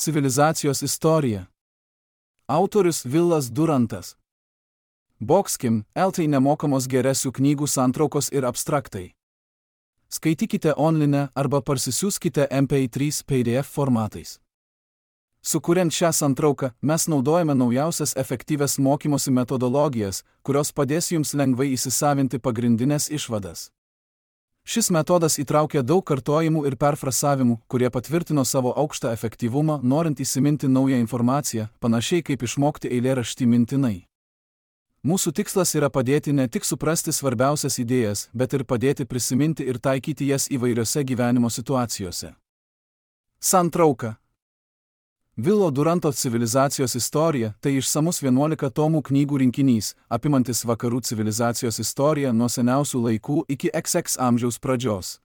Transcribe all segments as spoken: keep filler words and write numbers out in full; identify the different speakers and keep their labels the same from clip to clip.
Speaker 1: Civilizacijos istorija. Autorius Vilas Durantas. Boxkim, eltai nemokamos geresių knygų santraukos ir abstraktai. Skaitykite online arba parsisiųskite M P trys P D F formatais. Sukuriant šią santrauką, mes naudojame naujausias efektyvias mokymosi metodologijas, kurios padės jums lengvai įsisavinti pagrindinės išvadas. Šis metodas įtraukia daug kartojimų ir perfrasavimų, kurie patvirtino savo aukštą efektyvumą, norint įsiminti naują informaciją, panašiai kaip išmokti eilėraštį mintinai. Mūsų tikslas yra padėti ne tik suprasti svarbiausias idėjas, bet ir padėti prisiminti ir taikyti jas įvairiose gyvenimo situacijose. Santrauka. Vilo Duranto civilizacijos istorija – tai išsamus vienuolika tomų knygų rinkinys, apimantis vakarų civilizacijos istoriją nuo seniausių laikų iki X X amžiaus pradžios.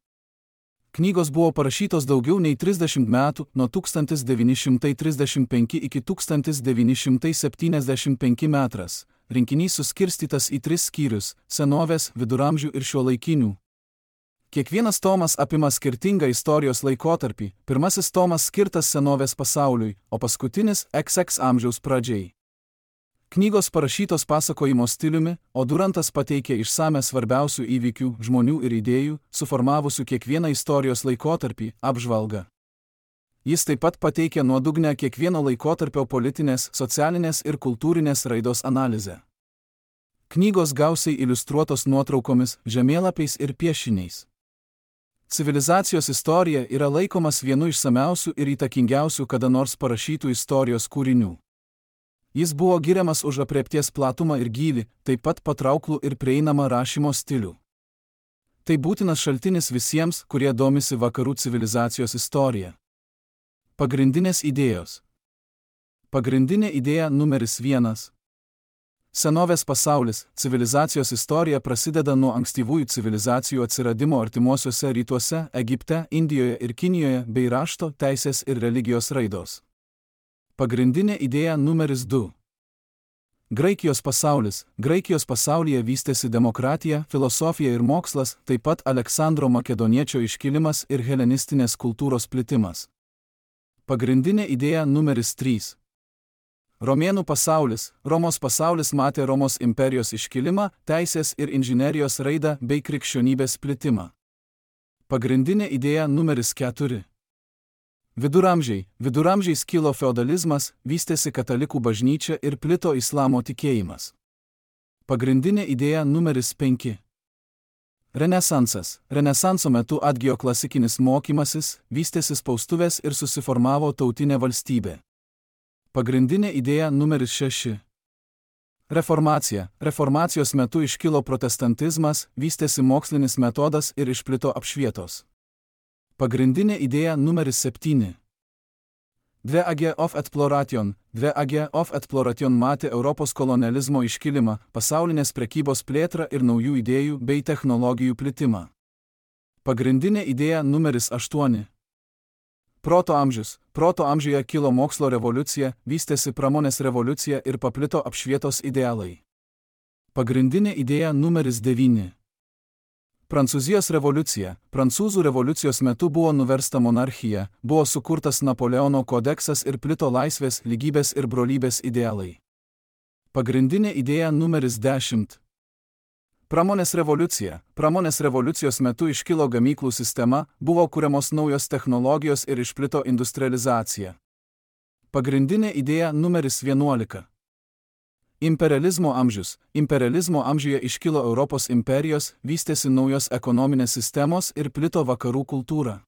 Speaker 1: Knygos buvo parašytos daugiau nei trisdešimt metų, nuo tūkstantis devyni šimtai trisdešimt penki iki tūkstantis devyni šimtai septyniasdešimt penki metras. Rinkinys suskirstytas į tris skyrius – senovės, viduramžių ir šiuolaikinių. Kiekvienas tomas apima skirtingą istorijos laikotarpį, pirmasis tomas skirtas senovės pasauliui, o paskutinis X X amžiaus pradžiai. Knygos parašytos pasakojimo stiliumi, o Durantas pateikė išsame svarbiausių įvykių, žmonių ir idėjų, suformavusių kiekvieną istorijos laikotarpį, apžvalgą. Jis taip pat pateikė nuodugnę kiekvieno laikotarpio politinės, socialinės ir kultūrinės raidos analizę. Knygos gausiai iliustruotos nuotraukomis, žemėlapiais ir piešiniais. Civilizacijos istorija yra laikomas vienu išsamiausių ir įtakingiausių kada nors parašytų istorijos kūrinių. Jis buvo giriamas už aprėpties platumą ir gylį, taip pat patrauklų ir prieinamą rašymo stilių. Tai būtinas šaltinis visiems, kurie domisi vakarų civilizacijos istorija. Pagrindinės idėjos. Pagrindinė idėja numeris vienas. Senovės pasaulis, civilizacijos istorija prasideda nuo ankstyvųjų civilizacijų atsiradimo artimuosiuose rytuose, Egipte, Indijoje ir Kinijoje bei rašto, teisės ir religijos raidos. Pagrindinė idėja numeris du. Graikijos pasaulis. Graikijos pasaulyje vystėsi demokratija, filosofija ir mokslas, taip pat Aleksandro Makedoniečio iškilimas ir helenistinės kultūros plitimas. Pagrindinė idėja numeris trys. Romėnų pasaulis. Romos pasaulis matė Romos imperijos iškilimą, teisės ir inžinerijos raidą bei krikščionybės plitimą. Pagrindinė idėja numeris keturi. Viduramžiai. Viduramžiais kilo feodalizmas, vystėsi katalikų bažnyčia ir plito islamo tikėjimas. Pagrindinė idėja numeris penki. Renesansas. Renesanso metu atgijo klasikinis mokymasis, vystėsi spaustuvės ir susiformavo tautinė valstybė. Pagrindinė idėja numeris šeši. Reformacija. Reformacijos metu iškilo protestantizmas, vystėsi mokslinis metodas ir išplito apšvietos. Pagrindinė idėja numeris septyni. Dve Age of Exploration. Dve Age of Exploration matė Europos kolonializmo iškilimą, pasaulinės prekybos plėtrą ir naujų idėjų bei technologijų plitimą. Pagrindinė idėja numeris aštuoni. Proto amžius. Proto amžiuje kilo mokslo revoliucija, vystėsi pramonės revoliucija ir paplito apšvietos idealai. Pagrindinė idėja numeris devyni. Prancūzijos revoliucija. Prancūzų revoliucijos metu buvo nuversta monarchija, buvo sukurtas Napoleono kodeksas ir plito laisvės, lygybės ir brolybės idealai. Pagrindinė idėja numeris dešimt. Pramonės revoliucija. Pramonės revoliucijos metu iškilo gamyklų sistema, buvo kuriamos naujos technologijos ir išplito industrializacija. Pagrindinė idėja numeris vienuolika. Imperializmo amžius. Imperializmo amžiuje iškilo Europos imperijos, vystėsi naujos ekonominės sistemos ir plito vakarų kultūra.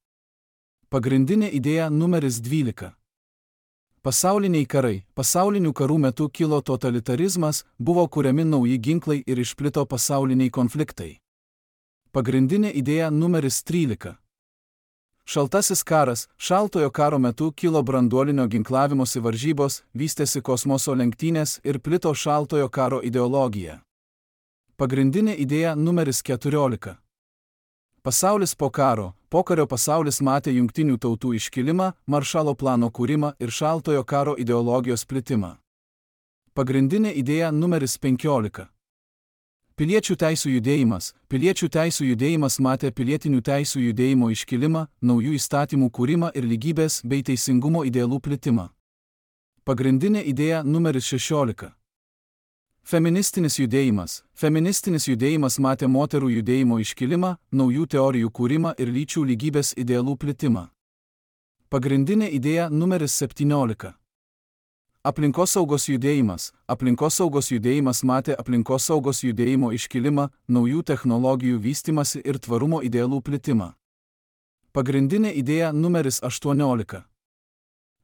Speaker 1: Pagrindinė idėja numeris dvylika. Pasauliniai karai. Pasaulinių karų metu kilo totalitarizmas, buvo kuriami nauji ginklai ir išplito pasauliniai konfliktai. Pagrindinė idėja numeris trylika. Šaltasis karas. Šaltojo karo metu kilo branduolinio ginklavimosi varžybos, vystėsi kosmoso lenktynės ir plito šaltojo karo ideologija. Pagrindinė idėja numeris keturiolika. Pasaulis po karo. Pokario pasaulis matė jungtinių tautų iškilimą, Maršalo plano kūrimą ir šaltojo karo ideologijos plitimą. Pagrindinė idėja numeris penkiolika. Piliečių teisų judėjimas. Piliečių teisų judėjimas matė pilietinių teisų judėjimo iškilimą, naujų įstatymų kūrimą ir lygybės bei teisingumo idealų plitimą. Pagrindinė idėja numeris šešiolika. Feministinis judėjimas. Feministinis judėjimas matė moterų judėjimo iškilimą, naujų teorijų kūrimą ir lyčių lygybės idealų plitimą. Pagrindinė idėja numeris septyniolika. Aplinkosaugos judėjimas. Aplinkosaugos judėjimas matė aplinkosaugos judėjimo iškilimą, naujų technologijų vystymąsi ir tvarumo idealų plitimą. Pagrindinė idėja numeris aštuoniolika.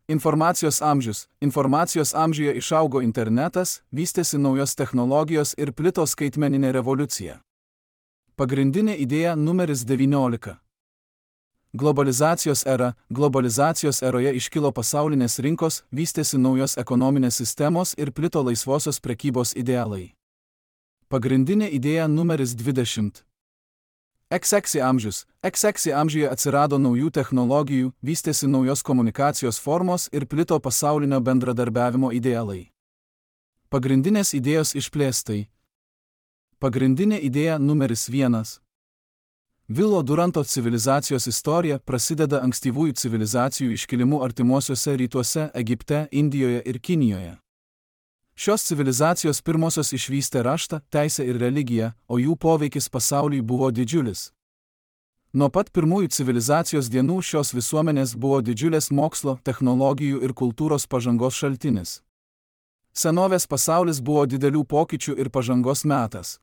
Speaker 1: Informacijos amžius. Informacijos amžiuje išaugo internetas, vystėsi naujos technologijos ir plito skaitmeninė revoliucija. Pagrindinė idėja numeris devyniolika. Globalizacijos era. Globalizacijos eroje iškilo pasaulinės rinkos, vystėsi naujos ekonominės sistemos ir plito laisvosios prekybos idealai. Pagrindinė idėja numeris dvidešimt. X X amžius. X X amžiuje atsirado naujų technologijų, vystėsi naujos komunikacijos formos ir plito pasaulinio bendradarbiavimo idealai. Pagrindinės idėjos išplėstai. Pagrindinė idėja numeris vienas. Vilo Duranto civilizacijos istorija prasideda ankstyvųjų civilizacijų iškilimu artimuosiuose rytuose, Egipte, Indijoje ir Kinijoje. Šios civilizacijos pirmosios išvystė raštą, teisę ir religiją, o jų poveikis pasauliui buvo didžiulis. Nuo pat pirmųjų civilizacijos dienų šios visuomenės buvo didžiulės mokslo, technologijų ir kultūros pažangos šaltinis. Senovės pasaulis buvo didelių pokyčių ir pažangos metas.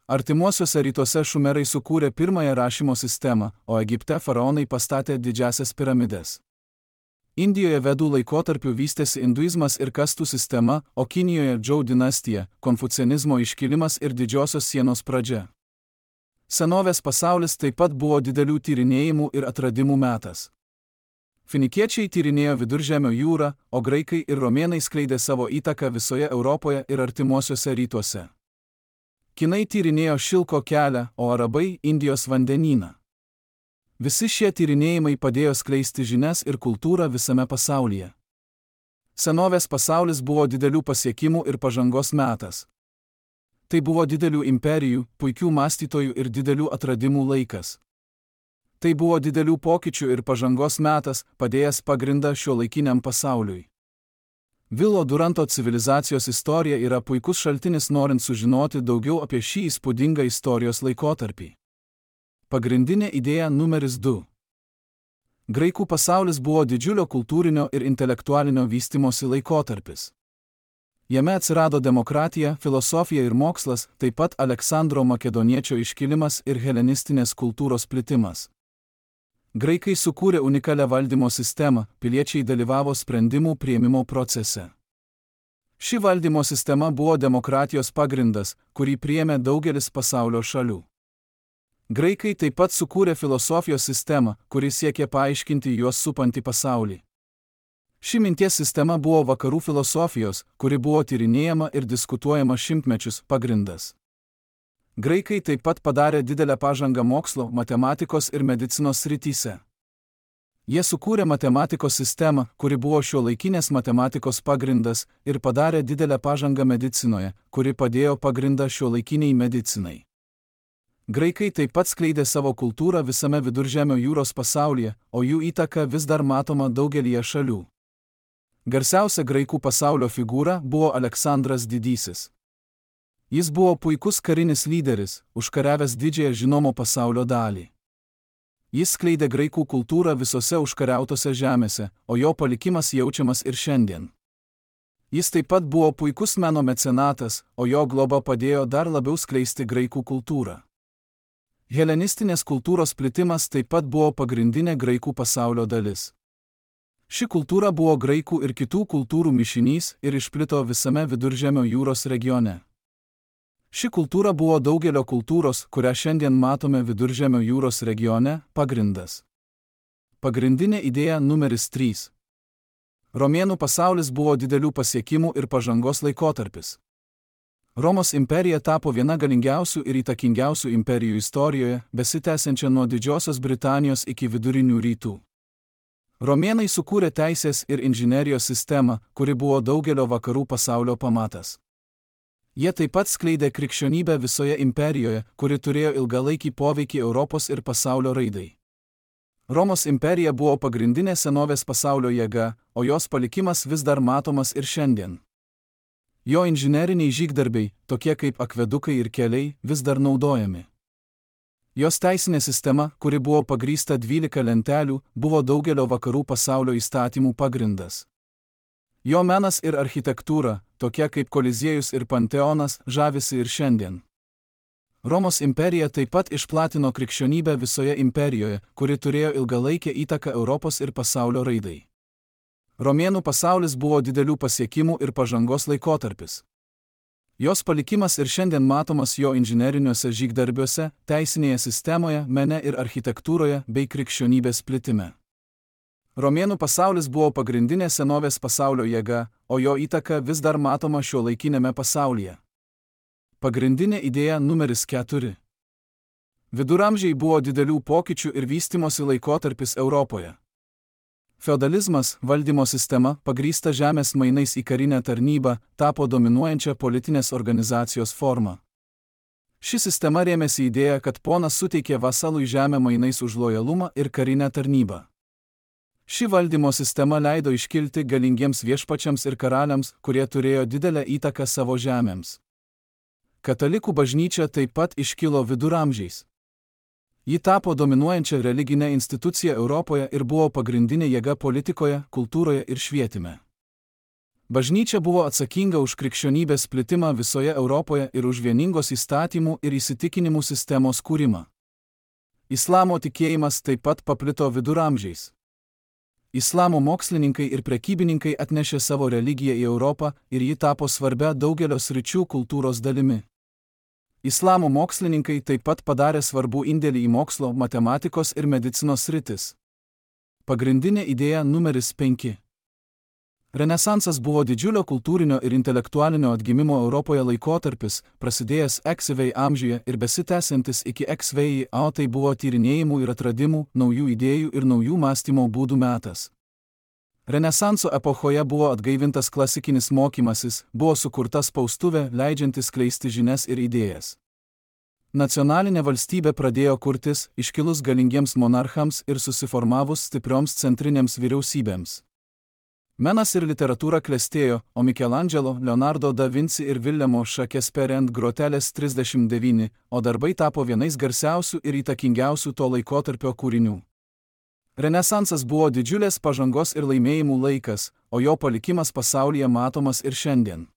Speaker 1: Artimuosiuose rytuose šumerai sukūrė pirmąją rašymo sistemą, o Egipte faraonai pastatė didžiasias piramides. Indijoje vedų laikotarpiu vystėsi induizmas ir kastų sistema, o Kinijoje Džou dinastija, konfucianizmo iškilimas ir didžiosios sienos pradžia. Senovės pasaulis taip pat buvo didelių tyrinėjimų ir atradimų metas. Finikiečiai tyrinėjo Viduržemio jūrą, o graikai ir romėnai skleidė savo įtaką visoje Europoje ir artimuosiuose rytuose. Kinai tyrinėjo Šilko kelią, o arabai Indijos vandenyną. Visi šie tyrinėjimai padėjo skleisti žinias ir kultūrą visame pasaulyje. Senovės pasaulis buvo didelių pasiekimų ir pažangos metas. Tai buvo didelių imperijų, puikių mąstytojų ir didelių atradimų laikas. Tai buvo didelių pokyčių ir pažangos metas, padėjęs pagrindą šiuolaikiniam pasauliui. Vilo Duranto civilizacijos istorija yra puikus šaltinis norint sužinoti daugiau apie šį įspūdingą istorijos laikotarpį. Pagrindinė idėja numeris du. Graikų pasaulis buvo didžiulio kultūrinio ir intelektualinio vystimosi laikotarpis. Jame atsirado demokratija, filosofija ir mokslas, taip pat Aleksandro Makedoniečio iškilimas ir helenistinės kultūros plitimas. Graikai sukūrė unikalią valdymo sistemą, piliečiai dalyvavo sprendimų priėmimo procese. Ši valdymo sistema buvo demokratijos pagrindas, kurį priėmė daugelis pasaulio šalių. Graikai taip pat sukūrė filosofijos sistemą, kuri siekė paaiškinti juos supantį pasaulį. Ši minties sistema buvo vakarų filosofijos, kuri buvo tyrinėjama ir diskutuojama šimtmečius, pagrindas. Graikai taip pat padarė didelę pažangą mokslo, matematikos ir medicinos srityse. Jie sukūrė matematikos sistemą, kuri buvo šiuolaikinės matematikos pagrindas, ir padarė didelę pažangą medicinoje, kuri padėjo pagrindą šiuolaikiniai medicinai. Graikai taip pat skleidė savo kultūrą visame Viduržemio jūros pasaulyje, o jų įtaka vis dar matoma daugelyje šalių. Garsiausia graikų pasaulio figūra buvo Aleksandras Didysis. Jis buvo puikus karinis lyderis, užkariavęs didžiąją žinomo pasaulio dalį. Jis skleidė graikų kultūrą visose užkariautose žemėse, o jo palikimas jaučiamas ir šiandien. Jis taip pat buvo puikus meno mecenatas, o jo globa padėjo dar labiau skleisti graikų kultūrą. Helenistinės kultūros plitimas taip pat buvo pagrindinė graikų pasaulio dalis. Ši kultūra buvo graikų ir kitų kultūrų mišinys ir išplito visame Viduržemio jūros regione. Ši kultūra buvo daugelio kultūros, kurią šiandien matome Viduržemio jūros regione, pagrindas. Pagrindinė idėja numeris trys. Romėnų pasaulis buvo didelių pasiekimų ir pažangos laikotarpis. Romos imperija tapo viena galingiausių ir įtakingiausių imperijų istorijoje, besitęsiančia nuo Didžiosios Britanijos iki Vidurinių rytų. Romėnai sukūrė teisės ir inžinerijos sistemą, kuri buvo daugelio vakarų pasaulio pamatas. Jie taip pat skleidė krikščionybę visoje imperijoje, kuri turėjo ilgalaikį poveikį Europos ir pasaulio raidai. Romos imperija buvo pagrindinė senovės pasaulio jėga, o jos palikimas vis dar matomas ir šiandien. Jo inžineriniai žygdarbiai, tokie kaip akvedukai ir keliai, vis dar naudojami. Jos teisinė sistema, kuri buvo pagrįsta dvylika lentelių, buvo daugelio vakarų pasaulio įstatymų pagrindas. Jo menas ir architektūra, tokie kaip Koliziejus ir Panteonas, žavisi ir šiandien. Romos imperija taip pat išplatino krikščionybę visoje imperijoje, kuri turėjo ilgalaikę įtaką Europos ir pasaulio raidai. Romėnų pasaulis buvo didelių pasiekimų ir pažangos laikotarpis. Jos palikimas ir šiandien matomas jo inžineriniuose žygdarbiuose, teisinėje sistemoje, mene ir architektūroje bei krikščionybės plitime. Romėnų pasaulis buvo pagrindinė senovės pasaulio jėga, o jo įtaka vis dar matoma šiuolaikinėme pasaulyje. Pagrindinė idėja numeris keturi. Viduramžiai buvo didelių pokyčių ir vystimosi laikotarpis Europoje. Feodalizmas, valdymo sistema, pagrįsta žemės mainais į karinę tarnybą, tapo dominuojančia politinės organizacijos forma. Ši sistema rėmėsi idėja, kad ponas suteikė vasalui žemę mainais už lojalumą ir karinę tarnybą. Ši valdymo sistema leido iškilti galingiems viešpačiams ir karaliams, kurie turėjo didelę įtaką savo žemėms. Katalikų bažnyčia taip pat iškilo viduramžiais. Ji tapo dominuojančia religinė institucija Europoje ir buvo pagrindinė jėga politikoje, kultūroje ir švietime. Bažnyčia buvo atsakinga už krikščionybės plitimą visoje Europoje ir už vieningos įstatymų ir įsitikinimų sistemos kūrimą. Islamo tikėjimas taip pat paplito viduramžiais. Islamo mokslininkai ir prekybininkai atnešė savo religiją į Europą ir ji tapo svarbia daugelio sričių kultūros dalimi. Islamo mokslininkai taip pat padarė svarbų indėlį į mokslo, matematikos ir medicinos sritis. Pagrindinė idėja numeris penki. Renesansas buvo didžiulio kultūrinio ir intelektualinio atgimimo Europoje laikotarpis, prasidėjęs Eksvei amžiuje ir besitęsiantis iki Eksvei, o tai buvo tyrinėjimų ir atradimų, naujų idėjų ir naujų mąstymo būdų metas. Renesanso epochoje buvo atgaivintas klasikinis mokymasis, buvo sukurta spaustuvė, leidžianti skleisti žinias ir idėjas. Nacionalinė valstybė pradėjo kurtis, iškilus galingiems monarchams ir susiformavus stiprioms centrinėms vyriausybėms. Menas ir literatūra klestėjo, o Michelangelo, Leonardo da Vinci ir Villemo Shakespeare ant grotelės trisdešimt devyni, o darbai tapo vienais garsiausių ir įtakingiausių to laikotarpio kūrinių. Renesansas buvo didžiulės pažangos ir laimėjimų laikas, o jo palikimas pasaulyje matomas ir šiandien.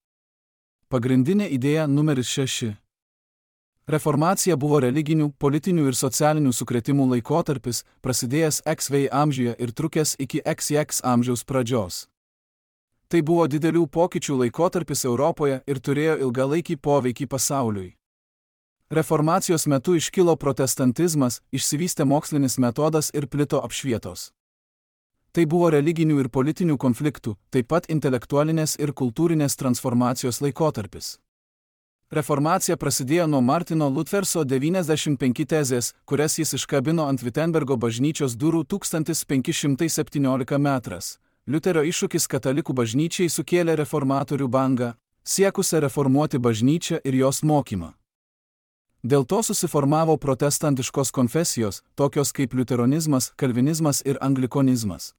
Speaker 1: Pagrindinė idėja numeris šeši. Reformacija buvo religinių, politinių ir socialinių sukrėtimų laikotarpis, prasidėjęs Eksvei amžiuje ir trukęs iki X X amžiaus pradžios. Tai buvo didelių pokyčių laikotarpis Europoje ir turėjo ilgalaikį poveikį pasauliui. Reformacijos metu iškilo protestantizmas, išsivystė mokslinis metodas ir plito apšvietos. Tai buvo religinių ir politinių konfliktų, taip pat intelektualinės ir kultūrinės transformacijos laikotarpis. Reformacija prasidėjo nuo Martino Lutherso devyniasdešimt penki tezės, kurias jis iškabino ant Wittenbergo bažnyčios durų tūkstantis penki šimtai septynioliktą metrais. Liuterio iššūkis katalikų bažnyčiai sukėlė reformatorių bangą, siekusią reformuoti bažnyčią ir jos mokymą. Dėl to susiformavo protestantiškos konfesijos, tokios kaip liuteronizmas, kalvinizmas ir anglikonizmas.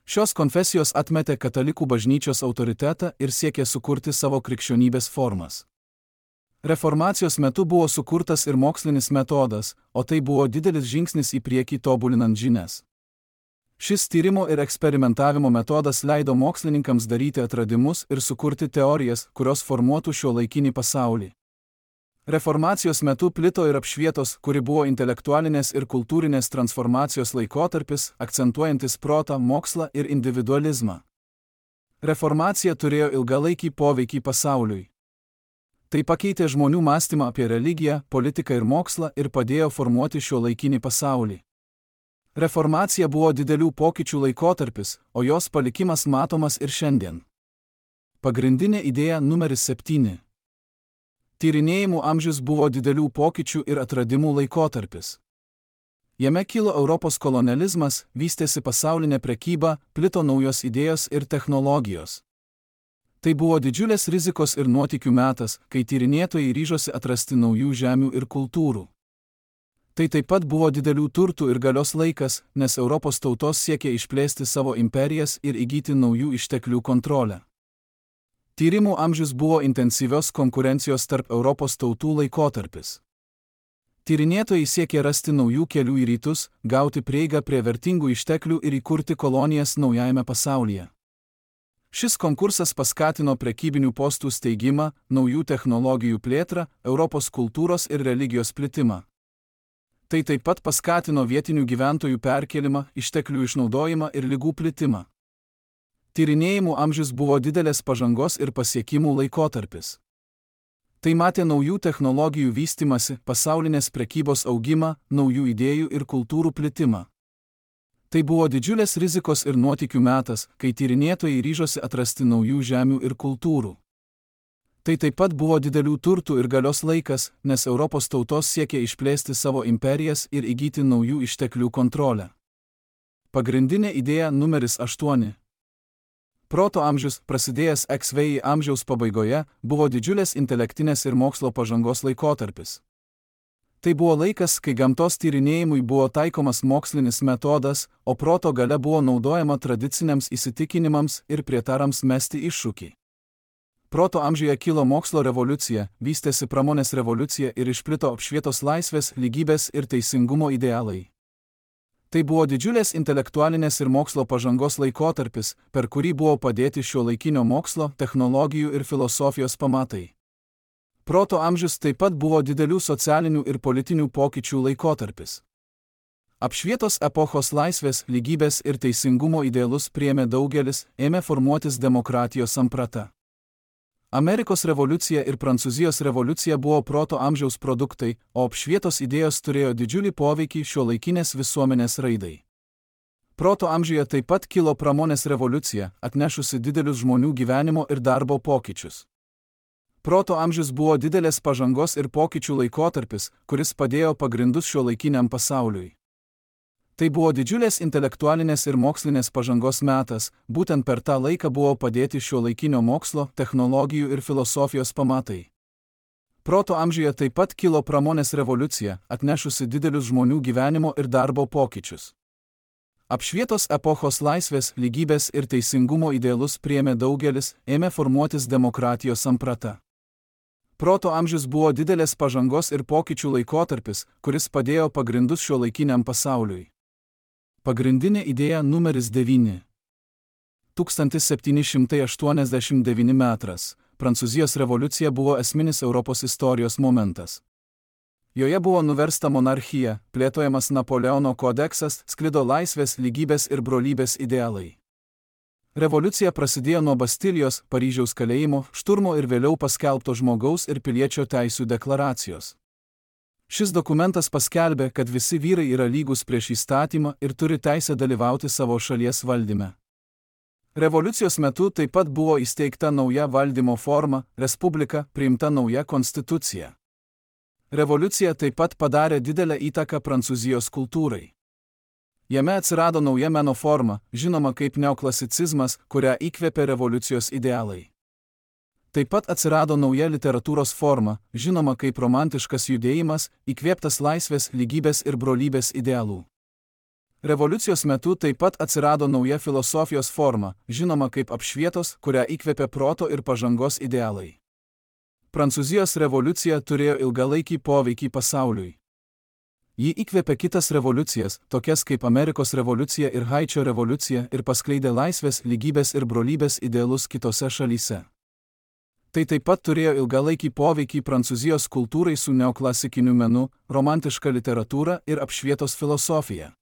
Speaker 1: Šios konfesijos atmetė katalikų bažnyčios autoritetą ir siekė sukurti savo krikščionybės formas. Reformacijos metu buvo sukurtas ir mokslinis metodas, o tai buvo didelis žingsnis į priekį tobulinant žinias. Šis tyrimo ir eksperimentavimo metodas leido mokslininkams daryti atradimus ir sukurti teorijas, kurios formuotų šiuolaikinį pasaulį. Reformacijos metu plito ir apšvietos, kuri buvo intelektualinės ir kultūrinės transformacijos laikotarpis, akcentuojantis protą, mokslą ir individualizmą. Reformacija turėjo ilgalaikį poveikį pasauliui. Tai pakeitė žmonių mąstymą apie religiją, politiką ir mokslą ir padėjo formuoti šiuolaikinį pasaulį. Reformacija buvo didelių pokyčių laikotarpis, o jos palikimas matomas ir šiandien. Pagrindinė idėja numeris septyni. Tyrinėjimų amžius buvo didelių pokyčių ir atradimų laikotarpis. Jame kilo Europos kolonializmas, vystėsi pasaulinė prekyba, plito naujos idėjos ir technologijos. Tai buvo didžiulės rizikos ir nuotykių metas, kai tyrinėtojai ryžosi atrasti naujų žemių ir kultūrų. Tai taip pat buvo didelių turtų ir galios laikas, nes Europos tautos siekė išplėsti savo imperijas ir įgyti naujų išteklių kontrolę. Tyrimų amžius buvo intensyvios konkurencijos tarp Europos tautų laikotarpis. Tyrinėtojai siekė rasti naujų kelių į rytus, gauti prieigą prie vertingų išteklių ir įkurti kolonijas naujajame pasaulyje. Šis konkursas paskatino prekybinių postų steigimą, naujų technologijų plėtrą, Europos kultūros ir religijos plitimą. Tai taip pat paskatino vietinių gyventojų perkėlimą, išteklių išnaudojimą ir ligų plitimą. Tyrinėjimų amžius buvo didelės pažangos ir pasiekimų laikotarpis. Tai matė naujų technologijų vystimąsi, pasaulinės prekybos augimą, naujų idėjų ir kultūrų plitimą. Tai buvo didžiulės rizikos ir nuotykių metas, kai tyrinėtojai ryžosi atrasti naujų žemių ir kultūrų. Tai taip pat buvo didelių turtų ir galios laikas, nes Europos tautos siekė išplėsti savo imperijas ir įgyti naujų išteklių kontrolę. Pagrindinė idėja numeris aštuoni. Proto amžius, prasidėjęs X V I amžiaus pabaigoje, buvo didžiulės intelektinės ir mokslo pažangos laikotarpis. Tai buvo laikas, kai gamtos tyrinėjimui buvo taikomas mokslinis metodas, o proto galia buvo naudojama tradiciniams įsitikinimams ir prietarams mesti iššūkį. Proto amžiuje kilo mokslo revoliucija, vystėsi pramonės revoliucija ir išplito apšvietos laisvės, lygybės ir teisingumo idealai. Tai buvo didžiulės intelektualinės ir mokslo pažangos laikotarpis, per kurį buvo padėti šiuolaikinio mokslo, technologijų ir filosofijos pamatai. Proto amžius taip pat buvo didelių socialinių ir politinių pokyčių laikotarpis. Apšvietos epochos laisvės, lygybės ir teisingumo idealus priėmė daugelis, ėmė formuotis demokratijos samprata. Amerikos revoliucija ir Prancūzijos revoliucija buvo proto amžiaus produktai, o apšvietos idėjos turėjo didžiulį poveikį šiuolaikinės visuomenės raidai. Proto amžiuje taip pat kilo pramonės revoliucija, atnešusi didelius žmonių gyvenimo ir darbo pokyčius. Proto amžius buvo didelės pažangos ir pokyčių laikotarpis, kuris padėjo pagrindus šiuolaikiniam pasauliui. Tai buvo didžiulės intelektualinės ir mokslinės pažangos metas, būtent per tą laiką buvo padėti šiuolaikinio mokslo, technologijų ir filosofijos pamatai. Proto amžiuje taip pat kilo pramonės revoliucija, atnešusi didelius žmonių gyvenimo ir darbo pokyčius. Apšvietos epochos laisvės, lygybės ir teisingumo idealus priėmė daugelis, ėmė formuotis demokratijos samprata. Proto amžius buvo didelės pažangos ir pokyčių laikotarpis, kuris padėjo pagrindus šiuolaikiniam pasauliui. Pagrindinė idėja numeris devyni. tūkstantis septyni šimtai aštuoniasdešimt devinti metas. Prancūzijos revoliucija buvo esminis Europos istorijos momentas. Joje buvo nuversta monarchija, plėtojamas Napoleono kodeksas, sklido laisvės, lygybės ir brolybės idealai. Revoliucija prasidėjo nuo Bastilijos, Paryžiaus kalėjimo, šturmo ir vėliau paskelbto žmogaus ir piliečio teisių deklaracijos. Šis dokumentas paskelbė, kad visi vyrai yra lygus prieš įstatymą ir turi teisę dalyvauti savo šalies valdyme. Revoliucijos metu taip pat buvo įsteigta nauja valdymo forma, respublika, priimta nauja konstitucija. Revoliucija taip pat padarė didelę įtaką Prancūzijos kultūrai. Jame atsirado nauja meno forma, žinoma kaip neoklasicizmas, kurią įkvėpė revoliucijos idealai. Taip pat atsirado nauja literatūros forma, žinoma kaip romantiškas judėjimas, įkvėptas laisvės, lygybės ir brolybės idealų. Revoliucijos metu taip pat atsirado nauja filosofijos forma, žinoma kaip apšvietos, kurią įkvėpė proto ir pažangos idealai. Prancūzijos revoliucija turėjo ilgalaikį poveikį pasauliui. Ji įkvėpė kitas revoliucijas, tokias kaip Amerikos revoliucija ir Haičio revoliucija, ir paskleidė laisvės, lygybės ir brolybės idealus kitose šalyse. Tai taip pat turėjo ilgalaikį poveikį Prancūzijos kultūrai su neoklasikiniu menu, romantiška literatūra ir apšvietos filosofija.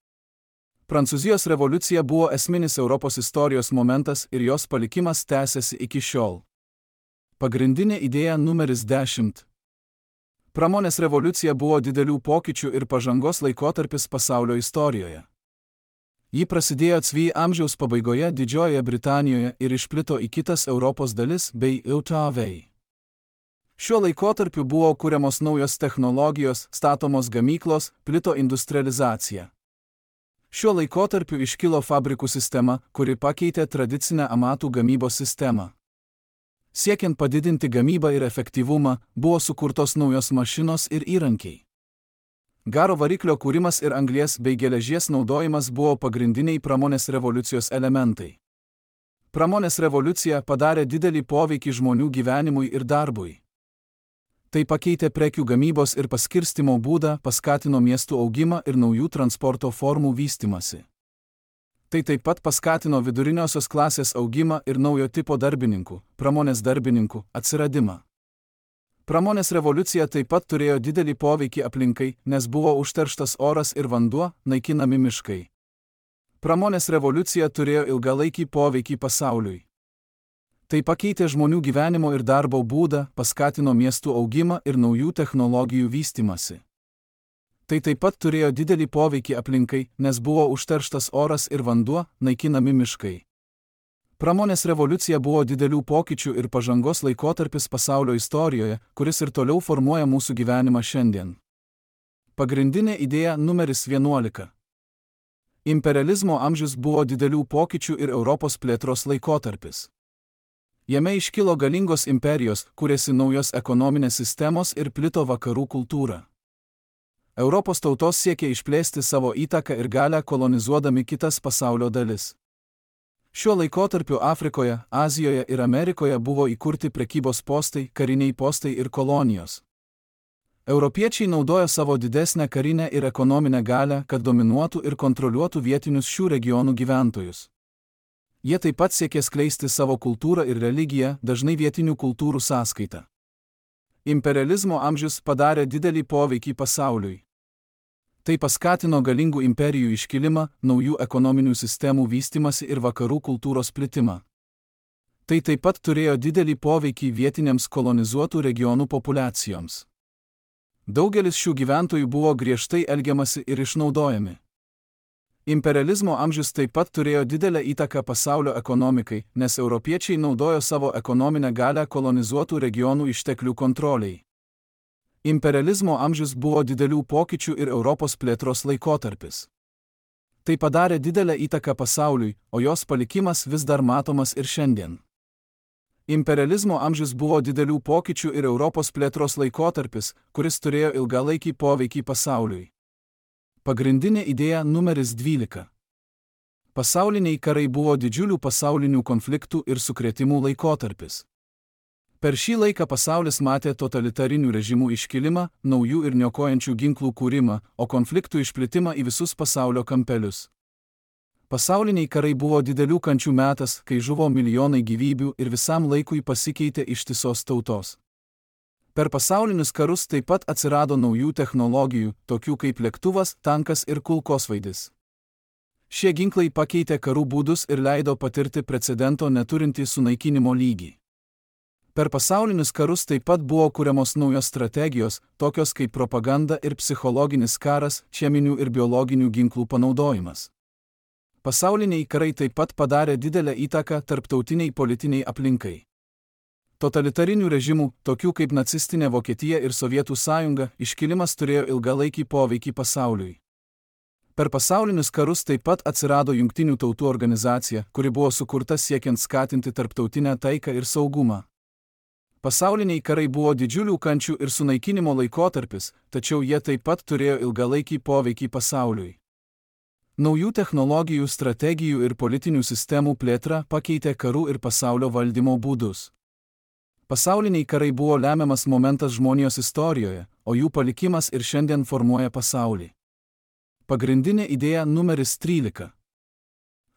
Speaker 1: Prancūzijos revoliucija buvo esminis Europos istorijos momentas ir jos palikimas tęsiasi iki šiol. Pagrindinė idėja numeris dešimt. Pramonės revoliucija buvo didelių pokyčių ir pažangos laikotarpis pasaulio istorijoje. Ji prasidėjo C V amžiaus pabaigoje Didžiojoje Britanijoje ir išplito į kitas Europos dalis bei Jav. Šiuo laikotarpiu buvo kuriamos naujos technologijos, statomos gamyklos, plito industrializacija. Šiuo laikotarpiu iškilo fabrikų sistema, kuri pakeitė tradicinę amatų gamybos sistemą. Siekiant padidinti gamybą ir efektyvumą, buvo sukurtos naujos mašinos ir įrankiai. Garo variklio kūrimas ir anglies bei geležies naudojimas buvo pagrindiniai pramonės revoliucijos elementai. Pramonės revoliucija padarė didelį poveikį žmonių gyvenimui ir darbui. Tai pakeitė prekių gamybos ir paskirstymo būdą, paskatino miestų augimą ir naujų transporto formų vystymąsi. Tai taip pat paskatino viduriniosios klasės augimą ir naujo tipo darbininkų, pramonės darbininkų, atsiradimą. Pramonės revoliucija taip pat turėjo didelį poveikį aplinkai, nes buvo užterštas oras ir vanduo, naikinami miškai. Pramonės revoliucija turėjo ilgalaikį poveikį pasauliui. Tai pakeitė žmonių gyvenimo ir darbo būdą, paskatino miestų augimą ir naujų technologijų vystymąsi. Tai taip pat turėjo didelį poveikį aplinkai, nes buvo užterštas oras ir vanduo, naikinami miškai. Pramonės revoliucija buvo didelių pokyčių ir pažangos laikotarpis pasaulio istorijoje, kuris ir toliau formuoja mūsų gyvenimą šiandien. Pagrindinė idėja numeris vienuolika. Imperializmo amžius buvo didelių pokyčių ir Europos plėtros laikotarpis. Jame iškilo galingos imperijos, kūrėsi naujos ekonominės sistemos ir plito vakarų kultūra. Europos tautos siekė išplėsti savo įtaką ir galią kolonizuodami kitas pasaulio dalis. Šiuo laikotarpiu Afrikoje, Azijoje ir Amerikoje buvo įkurti prekybos postai, kariniai postai ir kolonijos. Europiečiai naudojo savo didesnę karinę ir ekonominę galią, kad dominuotų ir kontroliuotų vietinius šių regionų gyventojus. Jie taip pat siekė skleisti savo kultūrą ir religiją, dažnai vietinių kultūrų sąskaita. Imperializmo amžius padarė didelį poveikį pasauliui. Tai paskatino galingų imperijų iškilimą, naujų ekonominių sistemų vystymąsi ir vakarų kultūros plitimą. Tai taip pat turėjo didelį poveikį vietiniams kolonizuotų regionų populiacijoms. Daugelis šių gyventojų buvo griežtai elgiamasi ir išnaudojami. Imperializmo amžius taip pat turėjo didelę įtaką pasaulio ekonomikai, nes europiečiai naudojo savo ekonominę galią kolonizuotų regionų išteklių kontroliai. Imperializmo amžius buvo didelių pokyčių ir Europos plėtros laikotarpis. Tai padarė didelę įtaką pasauliui, o jos palikimas vis dar matomas ir šiandien. Imperializmo amžius buvo didelių pokyčių ir Europos plėtros laikotarpis, kuris turėjo ilgalaikį poveikį pasauliui. Pagrindinė idėja numeris dvylika. Pasauliniai karai buvo didžiulių pasaulinių konfliktų ir sukrėtimų laikotarpis. Per šį laiką pasaulis matė totalitarinių režimų iškilimą, naujų ir niokojančių ginklų kūrimą, o konfliktų išplitimą į visus pasaulio kampelius. Pasauliniai karai buvo didelių kančių metas, kai žuvo milijonai gyvybių ir visam laikui pasikeitė ištisos tautos. Per pasaulinius karus taip pat atsirado naujų technologijų, tokių kaip lėktuvas, tankas ir kulkosvaidis. Šie ginklai pakeitė karų būdus ir leido patirti precedento neturintį sunaikinimo lygį. Per pasaulinius karus taip pat buvo kuriamos naujos strategijos, tokios kaip propaganda ir psichologinis karas, cheminių ir biologinių ginklų panaudojimas. Pasauliniai karai taip pat padarė didelę įtaką tarptautiniai politiniai aplinkai. Totalitarinių režimų, tokių kaip nacistinė Vokietija ir Sovietų sąjunga, iškilimas turėjo ilgalaikį poveikį pasauliui. Per pasaulinius karus taip pat atsirado Jungtinių tautų organizacija, kuri buvo sukurta siekiant skatinti tarptautinę taiką ir saugumą. Pasauliniai karai buvo didžiulių kančių ir sunaikinimo laikotarpis, tačiau jie taip pat turėjo ilgalaikį poveikį pasauliui. Naujų technologijų, strategijų ir politinių sistemų plėtra pakeitė karų ir pasaulio valdymo būdus. Pasauliniai karai buvo lemiamas momentas žmonijos istorijoje, o jų palikimas ir šiandien formuoja pasaulį. Pagrindinė idėja numeris trylika.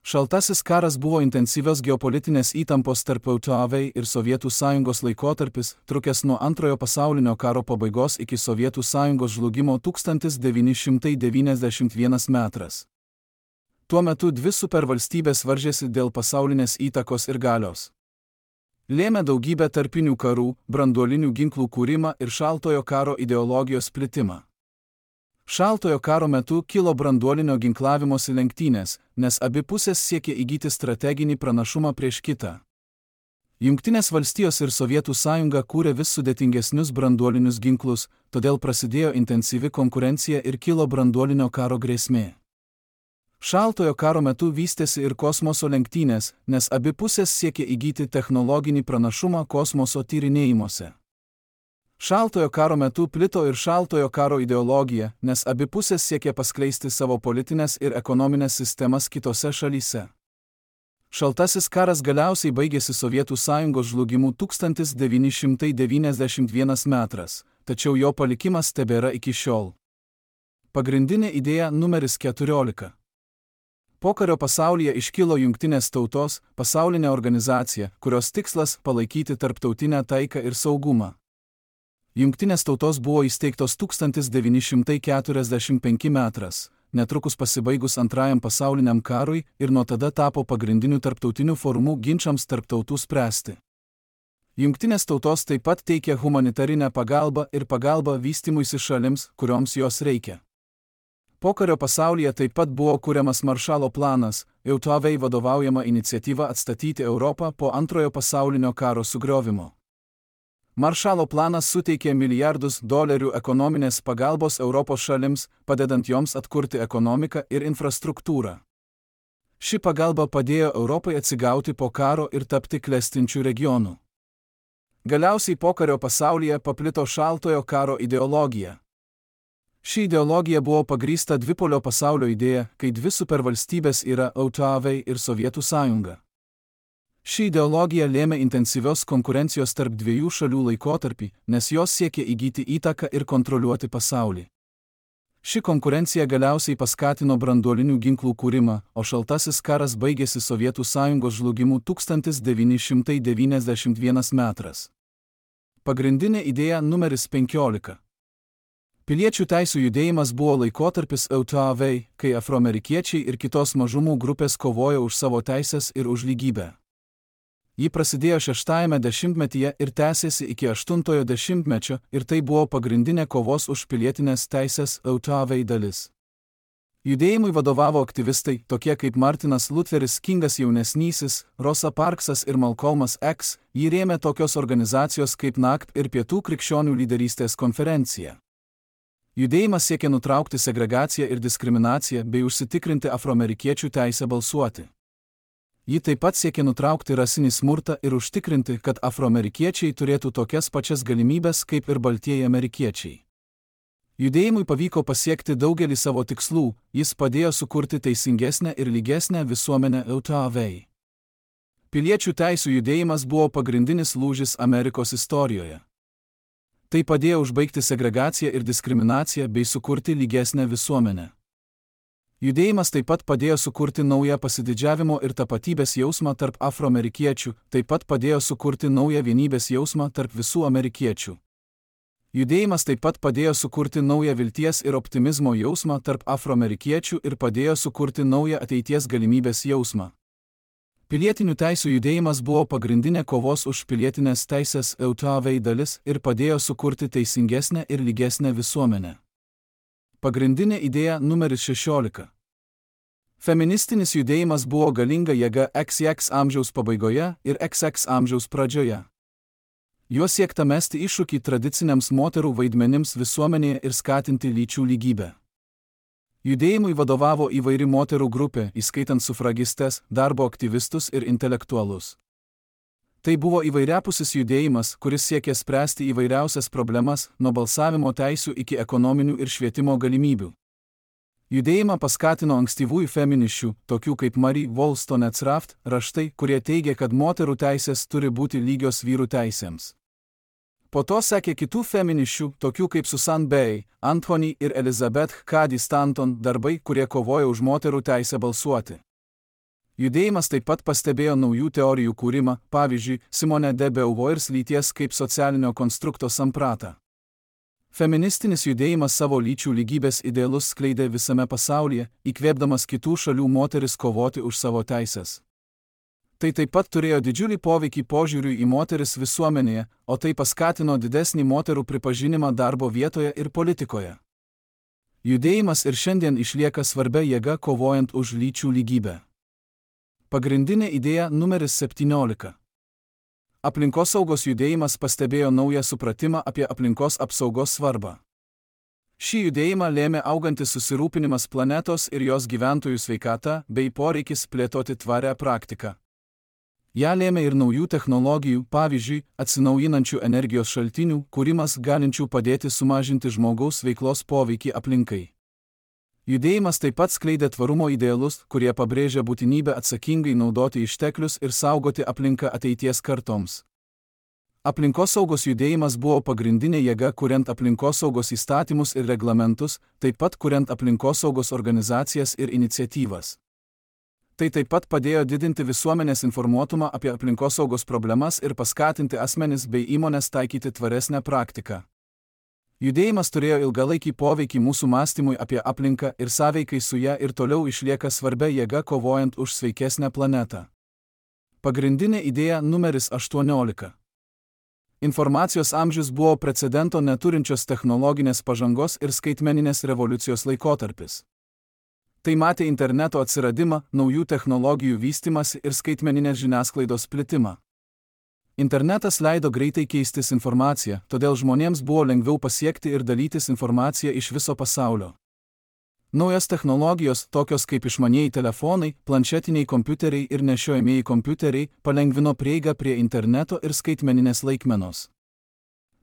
Speaker 1: Šaltasis karas buvo intensyvios geopolitinės įtampos tarp U S A ir Sovietų sąjungos laikotarpis, trukęs nuo Antrojo pasaulinio karo pabaigos iki Sovietų sąjungos žlugimo tūkstantis devyni šimtai devyniasdešimt vienas metras. Tuo metu dvi supervalstybės varžėsi dėl pasaulinės įtakos ir galios. Lėmė daugybę tarpinių karų, branduolinių ginklų kūrimą ir šaltojo karo ideologijos plitimą. Šaltojo karo metu kilo branduolinio ginklavimosi lenktynės, nes abi pusės siekė įgyti strateginį pranašumą prieš kitą. Jungtinės valstijos ir Sovietų sąjunga kūrė vis sudėtingesnius branduolinius ginklus, todėl prasidėjo intensyvi konkurencija ir kilo branduolinio karo grėsmė. Šaltojo karo metu vystėsi ir kosmoso lenktynės, nes abi pusės siekė įgyti technologinį pranašumą kosmoso tyrinėjimuose. Šaltojo karo metu plito ir šaltojo karo ideologija, nes abi pusės siekė paskleisti savo politinės ir ekonominės sistemas kitose šalyse. Šaltasis karas galiausiai baigėsi Sovietų sąjungos žlugimu tūkstantis devyni šimtai devyniasdešimt vienas metras, tačiau jo palikimas tebėra iki šiol. Pagrindinė idėja numeris keturiolika. Pokario pasaulyje iškilo Jungtinės tautos, pasaulinė organizacija, kurios tikslas palaikyti tarptautinę taiką ir saugumą. Jungtinės tautos buvo įsteigtos tūkstantis devyni šimtai keturiasdešimt penkti metras, netrukus pasibaigus Antrajam pasauliniam karui ir nuo tada tapo pagrindiniu tarptautiniu forumu ginčams tarp tautų spręsti. Jungtinės tautos taip pat teikia humanitarinę pagalbą ir pagalbą vystymuisi šalims, kurioms jos reikia. Pokario pasaulyje taip pat buvo kuriamas Maršalo planas, J A V vadovaujama iniciatyva atstatyti Europą po Antrojo pasaulinio karo sugriovimo. Maršalo planas suteikė milijardus dolerių ekonominės pagalbos Europos šalims, padedant joms atkurti ekonomiką ir infrastruktūrą. Ši pagalba padėjo Europai atsigauti po karo ir tapti klestinčių regionų. Galiausiai pokario pasaulyje paplito šaltojo karo ideologija. Ši ideologija buvo pagrįsta dvipolio pasaulio idėja, kai dvi supervalstybės yra J A V ir Sovietų sąjunga. Ši ideologija lėmė intensyvios konkurencijos tarp dviejų šalių laikotarpį, nes jos siekė įgyti įtaką ir kontroliuoti pasaulį. Ši konkurencija galiausiai paskatino branduolinių ginklų kūrimą, o šaltasis karas baigėsi Sovietų sąjungos žlugimu tūkstantis devyni šimtai devyniasdešimt vienas metras. Pagrindinė idėja numeris penkiolika. Piliečių teisių judėjimas buvo laikotarpis J A V, kai afroamerikiečiai ir kitos mažumų grupės kovojo už savo teisės ir už lygybę. Ji prasidėjo šeštajame dešimtmetyje ir tęsėsi iki aštuntojo dešimtmečio ir tai buvo pagrindinė kovos už pilietinės teisės J A V dalis. Judėjimui vadovavo aktyvistai, tokie kaip Martinas Lutheris Kingas jaunesnysis, Rosa Parksas ir Malcolmas X, jį rėmė tokios organizacijos kaip N A C P ir Pietų krikščionių lyderystės konferencija. Judėjimas siekė nutraukti segregaciją ir diskriminaciją bei užsitikrinti afroamerikiečių teisę balsuoti. Ji taip pat siekė nutraukti rasinį smurtą ir užtikrinti, kad afroamerikiečiai turėtų tokias pačias galimybės kaip ir baltieji amerikiečiai. Judėjimui pavyko pasiekti daugelį savo tikslų, jis padėjo sukurti teisingesnę ir lygesnę visuomenę J A V. Piliečių teisių judėjimas buvo pagrindinis lūžis Amerikos istorijoje. Tai padėjo užbaigti segregaciją ir diskriminaciją bei sukurti lygesnę visuomenę. Judėjimas taip pat padėjo sukurti naują pasididžiavimo ir tapatybės jausmą tarp afroamerikiečių, taip pat padėjo sukurti naują vienybės jausmą tarp visų amerikiečių. Judėjimas taip pat padėjo sukurti naują vilties ir optimizmo jausmą tarp afroamerikiečių ir padėjo sukurti naują ateities galimybės jausmą. Pilietinių teisių judėjimas buvo pagrindinė kovos už pilietinės teisės J A V dalis ir padėjo sukurti teisingesnę ir lygesnę visuomenę. Pagrindinė idėja numeris šešiolika. Feministinis judėjimas buvo galinga jėga X X amžiaus pabaigoje ir X X amžiaus pradžioje. Juo siekta mesti iššūkį tradiciniams moterų vaidmenims visuomenėje ir skatinti lyčių lygybę. Judėjimui vadovavo įvairi moterų grupė, įskaitant sufragistes, darbo aktyvistus ir intelektualus. Tai buvo įvairiapusis judėjimas, kuris siekė spręsti įvairiausias problemas, nuo balsavimo teisių iki ekonominių ir švietimo galimybių. Judėjimą paskatino ankstyvųjų feminisčių, tokių kaip Marie Wollstonecraft, raštai, kurie teigia, kad moterų teisės turi būti lygios vyrų teisėms. Po to sekė kitų feminisčių, tokių kaip Susan Bay, Anthony ir Elizabeth Cady Stanton darbai, kurie kovojo už moterų teisę balsuoti. Judėjimas taip pat pastebėjo naujų teorijų kūrimą, pavyzdžiui, Simone de Beauvoirs lyties kaip socialinio konstrukto sampratą. Feministinis judėjimas savo lyčių lygybės idealus skleidė visame pasaulyje, įkvėpdamas kitų šalių moteris kovoti už savo teisės. Tai taip pat turėjo didžiulį poveikį požiūriui į moteris visuomenėje, o tai paskatino didesnį moterų pripažinimą darbo vietoje ir politikoje. Judėjimas ir šiandien išlieka svarbia jėga kovojant už lyčių lygybę. Pagrindinė idėja numeris septyniolika. Aplinkosaugos judėjimas pastebėjo naują supratimą apie aplinkos apsaugos svarbą. Šį judėjimą lėmė augantis susirūpinimas planetos ir jos gyventojų sveikata bei poreikis plėtoti tvarią praktiką. Ja lėmė ir naujų technologijų, pavyzdžiui, atsinaujinančių energijos šaltinių, kūrimas galinčių padėti sumažinti žmogaus veiklos poveikį aplinkai. Judėjimas taip pat skleidė tvarumo idealus, kurie pabrėžia būtinybę atsakingai naudoti išteklius ir saugoti aplinką ateities kartoms. Aplinkosaugos judėjimas buvo pagrindinė jėga kuriant aplinkosaugos įstatymus ir reglamentus, taip pat kuriant aplinkosaugos organizacijas ir iniciatyvas. Tai taip pat padėjo didinti visuomenės informuotumą apie aplinkosaugos problemas ir paskatinti asmenis bei įmones taikyti tvaresnę praktiką. Judėjimas turėjo ilgalaikį poveikį mūsų mąstymui apie aplinką ir sąveikai su ja ir toliau išlieka svarbia jėga kovojant už sveikesnę planetą. Pagrindinė idėja numeris aštuoniolika. Informacijos amžius buvo precedento neturinčios technologinės pažangos ir skaitmeninės revoliucijos laikotarpis. Tai matė interneto atsiradimą, naujų technologijų vystymąsi ir skaitmeninės žiniasklaidos plitimą. Internetas leido greitai keistis informaciją, todėl žmonėms buvo lengviau pasiekti ir dalytis informaciją iš viso pasaulio. Naujos technologijos, tokios kaip išmanieji telefonai, planšetiniai kompiuteriai ir nešiojamieji kompiuteriai, palengvino prieigą prie interneto ir skaitmeninės laikmenos.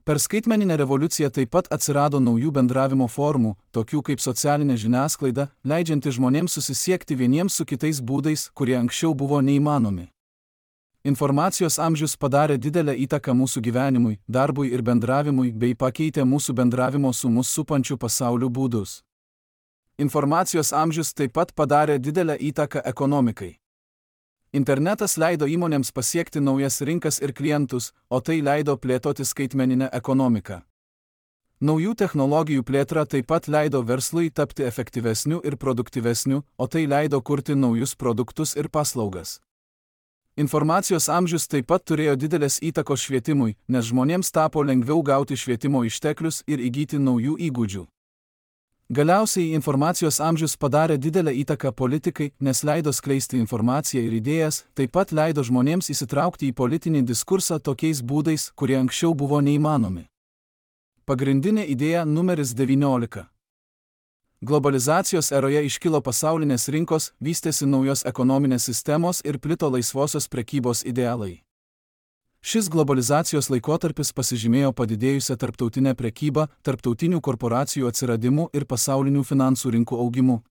Speaker 1: Per skaitmeninę revoliuciją taip pat atsirado naujų bendravimo formų, tokių kaip socialinė žiniasklaida, leidžianti žmonėms susisiekti vieniems su kitais būdais, kurie anksčiau buvo neįmanomi. Informacijos amžius padarė didelę įtaką mūsų gyvenimui, darbui ir bendravimui bei pakeitė mūsų bendravimo su mus supančiu pasauliu būdus. Informacijos amžius taip pat padarė didelę įtaką ekonomikai. Internetas leido įmonėms pasiekti naujas rinkas ir klientus, o tai leido plėtoti skaitmeninę ekonomiką. Naujų technologijų plėtra taip pat leido verslui tapti efektyvesniu ir produktyvesniu, o tai leido kurti naujus produktus ir paslaugas. Informacijos amžius taip pat turėjo didelės įtakos švietimui, nes žmonėms tapo lengviau gauti švietimo išteklius ir įgyti naujų įgūdžių. Galiausiai informacijos amžius padarė didelę įtaką politikai, nes leido skleisti informaciją ir idėjas, taip pat leido žmonėms įsitraukti į politinį diskursą tokiais būdais, kurie anksčiau buvo neįmanomi. Pagrindinė idėja numeris devyniolika. Globalizacijos eroje iškilo pasaulinės rinkos, vystėsi naujos ekonominės sistemos ir plito laisvosios prekybos idealai. Šis globalizacijos laikotarpis pasižymėjo padidėjusią tarptautinę prekybą, tarptautinių korporacijų atsiradimu ir pasaulinių finansų rinkų augimu.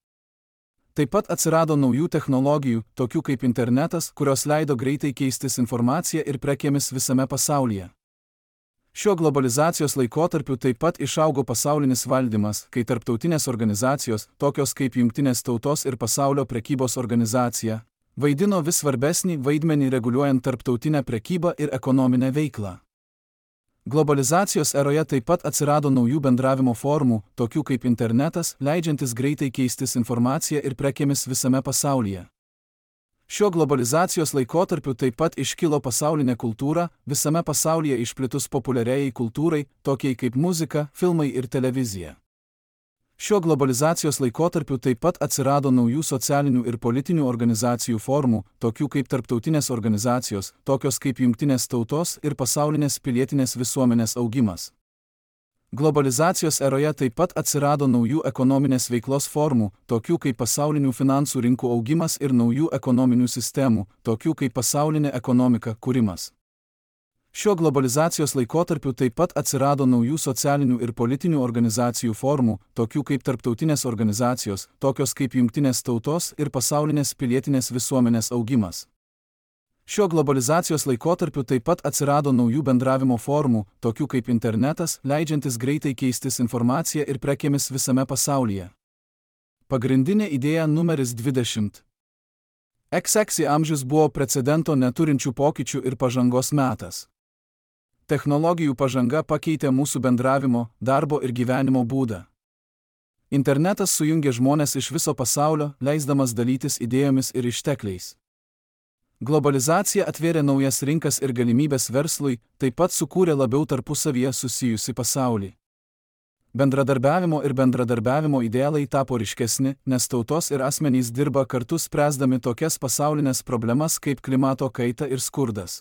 Speaker 1: Taip pat atsirado naujų technologijų, tokių kaip internetas, kurios leido greitai keistis informacija ir prekėmis visame pasaulyje. Šiuo globalizacijos laikotarpiu taip pat išaugo pasaulinis valdymas, kai tarptautinės organizacijos, tokios kaip Jungtinės tautos ir Pasaulio prekybos organizacija, vaidino vis svarbesnį vaidmenį reguliuojant tarptautinę prekybą ir ekonominę veiklą. Globalizacijos eroje taip pat atsirado naujų bendravimo formų, tokių kaip internetas, leidžiantis greitai keistis informaciją ir prekėmis visame pasaulyje. Šiuo globalizacijos laikotarpiu taip pat iškilo pasaulinė kultūra, visame pasaulyje išplitus populiariai kultūrai, tokiai kaip muzika, filmai ir televizija. Šiuo globalizacijos laikotarpiu taip pat atsirado naujų socialinių ir politinių organizacijų formų, tokių kaip tarptautinės organizacijos, tokios kaip Jungtinės tautos ir pasaulinės pilietinės visuomenės augimas. Globalizacijos eroje taip pat atsirado naujų ekonominės veiklos formų, tokių kaip pasaulinių finansų rinkų augimas ir naujų ekonominių sistemų, tokių kaip pasaulinė ekonomika kūrimas. Šiuo globalizacijos laikotarpiu taip pat atsirado naujų socialinių ir politinių organizacijų formų, tokių kaip tarptautinės organizacijos, tokios kaip Jungtinės tautos ir pasaulinės pilietinės visuomenės augimas. Šiuo globalizacijos laikotarpiu taip pat atsirado naujų bendravimo formų, tokių kaip internetas, leidžiantis greitai keistis informaciją ir prekėmis visame pasaulyje. Pagrindinė idėja numeris dvidešimt. iks iks amžius buvo precedento neturinčių pokyčių ir pažangos metas. Technologijų pažanga pakeitė mūsų bendravimo, darbo ir gyvenimo būdą. Internetas sujungė žmones iš viso pasaulio, leisdamas dalytis idėjomis ir ištekliais. Globalizacija atvėrė naujas rinkas ir galimybės verslui, taip pat sukūrė labiau tarpusavyje susijusi pasaulį. Bendradarbiavimo ir bendradarbiavimo idealai tapo ryškesni, nes tautos ir asmenys dirba kartu spręsdami tokias pasaulinės problemas kaip klimato kaita ir skurdas.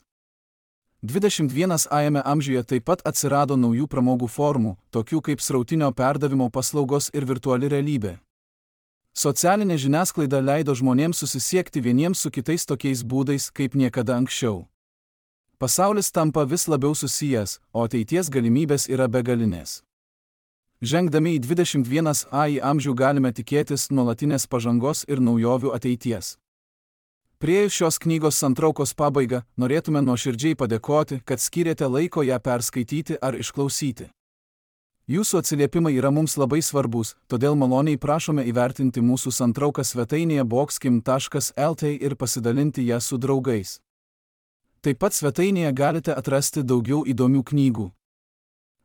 Speaker 1: dvidešimt pirmajame amžiuje taip pat atsirado naujų pramogų formų, tokių kaip srautinio perdavimo paslaugos ir virtuali realybė. Socialinė žiniasklaida leido žmonėms susisiekti vieniems su kitais tokiais būdais, kaip niekada anksčiau. Pasaulis tampa vis labiau susijęs, o ateities galimybės yra begalinės. Žengdami į dvidešimt pirmąjį amžių galime tikėtis nuolatinės pažangos ir naujovių ateities. Priėjus šios knygos santraukos pabaigą, norėtume nuoširdžiai padėkoti, kad skyrėte laiko ją perskaityti ar išklausyti. Jūsų atsiliepimai yra mums labai svarbus, todėl maloniai prašome įvertinti mūsų santrauką svetainėje boxkim taškas lt ir pasidalinti ją su draugais. Taip pat svetainėje galite atrasti daugiau įdomių knygų.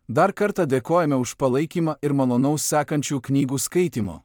Speaker 1: Dar kartą dėkojame už palaikymą ir malonaus sekančių knygų skaitimo.